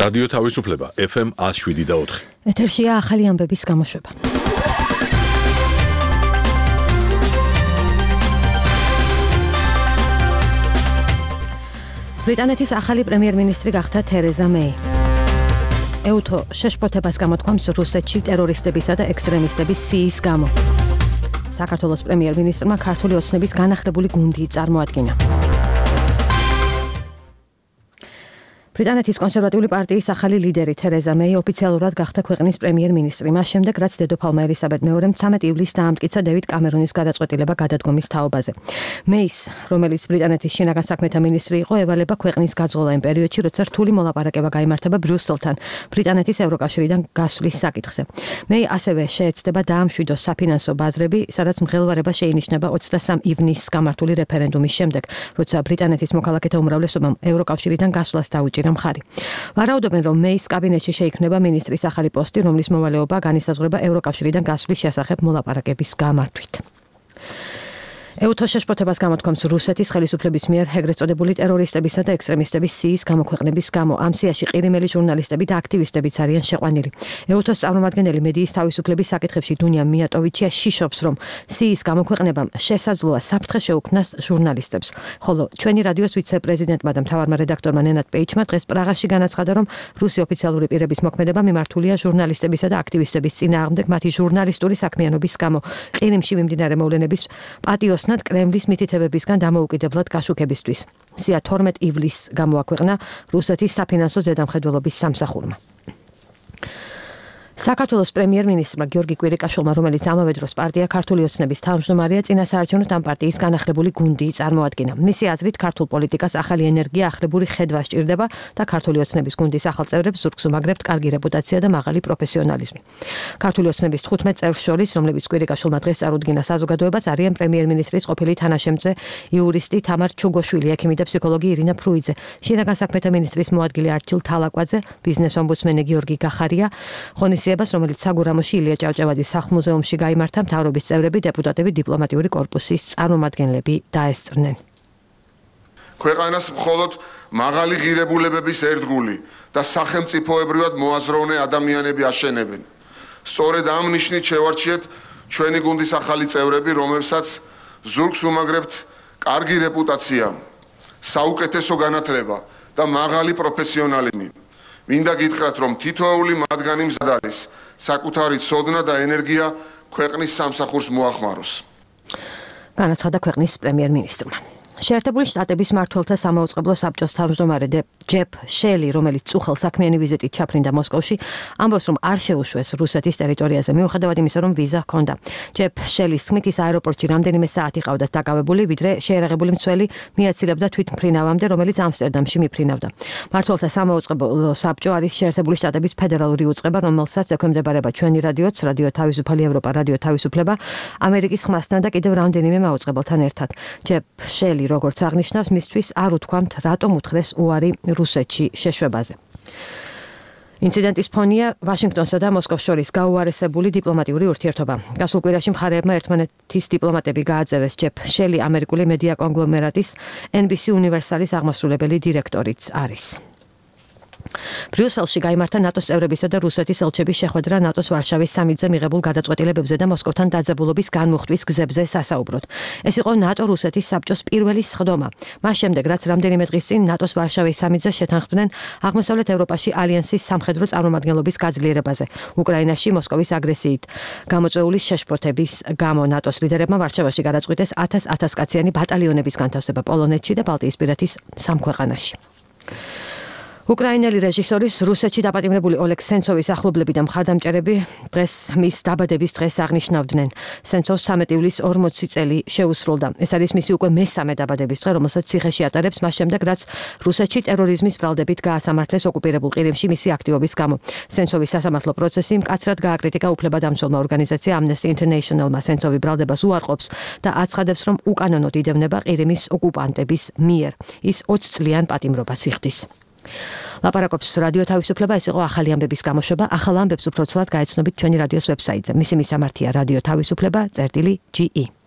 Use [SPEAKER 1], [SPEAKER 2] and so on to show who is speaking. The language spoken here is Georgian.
[SPEAKER 1] რადიო თავისუფლება FM 107.4.
[SPEAKER 2] ეთერშია ახალი ამბების გამოშვება. ბრიტანეთის ახალი პრემიერ-მინისტრი გახდა თერეზა მეი. ეუთო შეშფოთებას გამოთქვამს რუსეთში ტერორისტებისა და ექსტრემისტების სიის გამო. საქართველოს პრემიერ-მინისტრმა ქართული ოცნების განახლებული გუნდი წარმოადგინა. ბრიტანეთის კონსერვატიული პარტიის ახალი ლიდერი თერეზა მეი ოფიციალურად გახდა ქვეყნის პრემიერ-მინისტრი. მას შემდეგ, რაც დედოფალმა ელისაბედ მეორემ 13 ივლისს დაამტკიცა დევიდ კამერონის გადაწყვეტილება გადადგომის თაობაზე. მეის, რომელიც ბრიტანეთის შინაგან საქმეთა მინისტრი იყო, ევალება ქვეყნის გაძღოლა იმ პერიოდში, როცა რთული მოლაპარაკება გაიმართება ბრიუსელთან ბრიტანეთის ევროკავშირიდან გასვლის საკითხზე. მეი ასევე შეეცდება დაამშვიდოს საფინანსო ბაზრები, სადაც მღელვარება შეინიშნება 23 ივნისს გამართული რეფერენდუმის შემდეგ, როცა ბრიტანეთის მოქალაქეთა უმრავლესობამ ევროკავშირიდან გასვლას დაუჭირა მხარი. ვარაუდობენ, რომ მეის კაბინეტში შეიქმნება მინისტრის ახალი პოსტი, რომლის მოვალეობა განისაზღვრება ევროკავშირიდან გასვლის შესახებ მოლაპარაკების გამართვით. ეუთო შეშფოთებას გამოთქვამს რუსეთის ხელისუფლების მიერ ეგრეთ წოდებული ტერორისტებისა და ექსტრემისტების სიის გამოქვეყნების გამო. ამ სიაში ყირიმელი ჟურნალისტები და აქტივისტებიც არიან შეყვანილი. ეუთოს წარმომადგენელი მედიის თავისუფლების საკითხებში დუნია მიატოვიჩია შიშობს, რომ სიის გამოქვეყნებამ შესაძლოა საფრთხე შეუქმნას ჟურნალისტებს. ხოლო ჩვენი რადიოს ვიცე-პრეზიდენტმა და მთავარმა რედაქტორმა ნენად პეიჩმა დღეს პრაღაში განაცხადა, რომ რუსი ოფიციალური პირების მოქმედება მიმართულია ჟურნალისტებისა და აქტივისტების წინააღმდეგ მათი ჟურნალისტური საქმიანობის გამო. ყირიმში მიმდინარე მოვლენების პატიოს კრემლის მითითებებისგან დამოუკიდებლად გაშუქებისთვის. სია 12 ივლისს გამოაქვეყნა რუსეთის საფინანსო ზედამხედველობის სამსახურმა. საქართველოს პრემიერ-მინისტრმა გიორგი კვირიკაშვილმა, რომელიც ამავე დროს პარტია ქართული ოცნების თავმჯდომარეა, წინასაარჩევნოდ ამ პარტიის განახლებული გუნდი წარმოადგინა. მისი აზრით, ქართულ პოლიტიკას ახალი ენერგია, ახლებური ხედვა სჭირდება და ქართული ოცნების გუნდის ახალ წევრებს ზურგს უმაგრებთ კარგი რეპუტაცია და მაღალი პროფესიონალიზმი. ქართული ოცნების 15 წევრს შორის, რომლებიც კვირიკაშვილმა დღეს წარუდგინა საზოგადოებას, არიან პრემიერ-მინისტრის ყოფილი თანაშემწე იურისტი თამარ ჩუგოშვილი, ექიმი და ფსიქოლოგი ირინა ფრუიძე, შინაგან საქმეთა მინისტრის მოადგილე არჩილ თალაკვაძე, ბიზნეს ომბუდსმენი გიორგი გახარია, რომელიც საგურამოში ილია ჭავჭავაძის სახლ-მუზეუმში გაიმართა, მთავრობის წევრები, დეპუტატები, დიპლომატიური კორპუსის წარმომადგენლები დაესწრნენ.
[SPEAKER 3] ქვეყანას მხოლოდ მაღალი ღირებულებების ერთგული და სახელმწიფოებრივად მოაზროვნე ადამიანები აშენებენ. სწორედ ამ ნიშნით შევარჩიეთ ჩვენი გუნდის ახალი წევრები, რომლებსაც ზურგს უმაგრებთ კარგი რეპუტაცია, საუკეთესო განათლება და მაღალი პროფესიონალიზმი. მინდა გითხრათ, რომ თითოეული მათგანი მზად არის საკუთარი ცოდნა და ენერგია ქვეყნის სამსახურს მოახმაროს.
[SPEAKER 2] განაცხადა ქვეყნის პრემიერ-მინისტრმა. შეერთებული შტატების მმართველთა სამაუწყებლო საბჭოს თავმჯდომარე ჯეფ შელი, რომელიც წუხელ საქმიანი ვიზიტით ჩაფრინდა მოსკოვში, ამბობს, რომ არ შეუშვეს რუსეთის ტერიტორიაზე, მიუხედავად იმისა, რომ ვიზა ჰქონდა. ჯეფ შელის თქმით, ის აეროპორტში რამდენიმე საათი ყავდათ დაკავებული, ვიდრე შეერაღებული მცველი მიაცილებდა თვითმფრინავამდე, რომელიც ამსტერდამში მიფრინავდა. მმართველთა სამაუწყებლო საბჭო არის შეერთებული შტატების ფედერალური უწყება, რომელსაც ექვემდებარება ჩვენი რადიოც, რადიო თავისუფალი ევროპა, რადიო თავისუფლება, ამერიკის ხმასთან და კიდევ რამდენიმე მაუწყებელთან ერთად. ჯეფ შელი როგორც აღნიშნავს, მისთვის არ უთქვამთ, რატომ უთხრეს უარი რუსეთში შეშვებაზე. ინციდენტის ფონია ვაშინგტონსა და მოსკოვს შორის გაუარესებული დიპლომატიური ურთიერთობა. გასულ კვირაში მხარეებმა ერთმანეთის დიპლომატები გააძევეს. ჯეფ შელი ამერიკული მედია კონგლომერატის NBC უნივერსალის აღმასრულებელი დირექტორიც არის. ბრიუსელში გაიმართა ნატოს წევრებისა და რუსეთის ელჩების შეხვედრა ნატოს ვარშავის სამიტზე მიღებულ გადაწყვეტილებებზე და მოსკოვთან დაძაბულობის განმუხტვის გზებზე სასაუბროდ. ეს იყო ნატო-რუსეთის საბჭოს პირველი სხდომა. მას შემდეგ, რაც რამდენიმე დღის წინ ნატოს ვარშავის სამიტზე შეთანხმდნენ აღმოსავლეთ ევროპაში ალიანსის სამხედრო წარმომადგენლობის გაძლიერებაზე. უკრაინაში მოსკოვის აგრესიით გამოწვეული შეშფოთების გამო ნატოს ლიდერებმა ვარშავაში გადაწყვიტეს 1000 კაციანი ბატალიონების განთავსება პოლონეთში და ბალტიისპირეთის 3 ქვეყანაში. უკრაინელი რეჟისორის რუსეთში დაპატიმრებული ოლეგ სენცოვის ახლობლები და მხარდამჭერები დღეს მის დაბადების დღეს აღნიშნავდნენ. სენცოვს 13 ივლისს 40 წელი შეუსრულდა. ეს არის მისი უკვე მესამე დაბადების დღე, რომელსაც ციხეში ატარებს მას შემდეგ, რაც რუსეთში ტერორიზმის ბრალდებით გაასამართლეს ოკუპირებულ ყირიმში მისი აქტივობის გამო. სენცოვის სასამართლო პროცესი მკაცრად გააკრიტიკა უფლებადამცველმა ორგანიზაცია Amnesty International-მა. სენცოვი ბრალდებას უარყოფს და აცხადებს, რომ უკანონოდ იდევნება ყირიმის ოკუპანტების მიერ. ის 20 წლიან პატიმრობას იხდის. ლაპარაკობს რადიო თავისუფლება, ეს იყო ახალი ამბების გამოშვება. ახალ ამბებს უფრო ცლად გაეცნობით ჩვენი რადიოს ვებსაიტზე. მისი მისამართია რადიო თავისუფლება.ge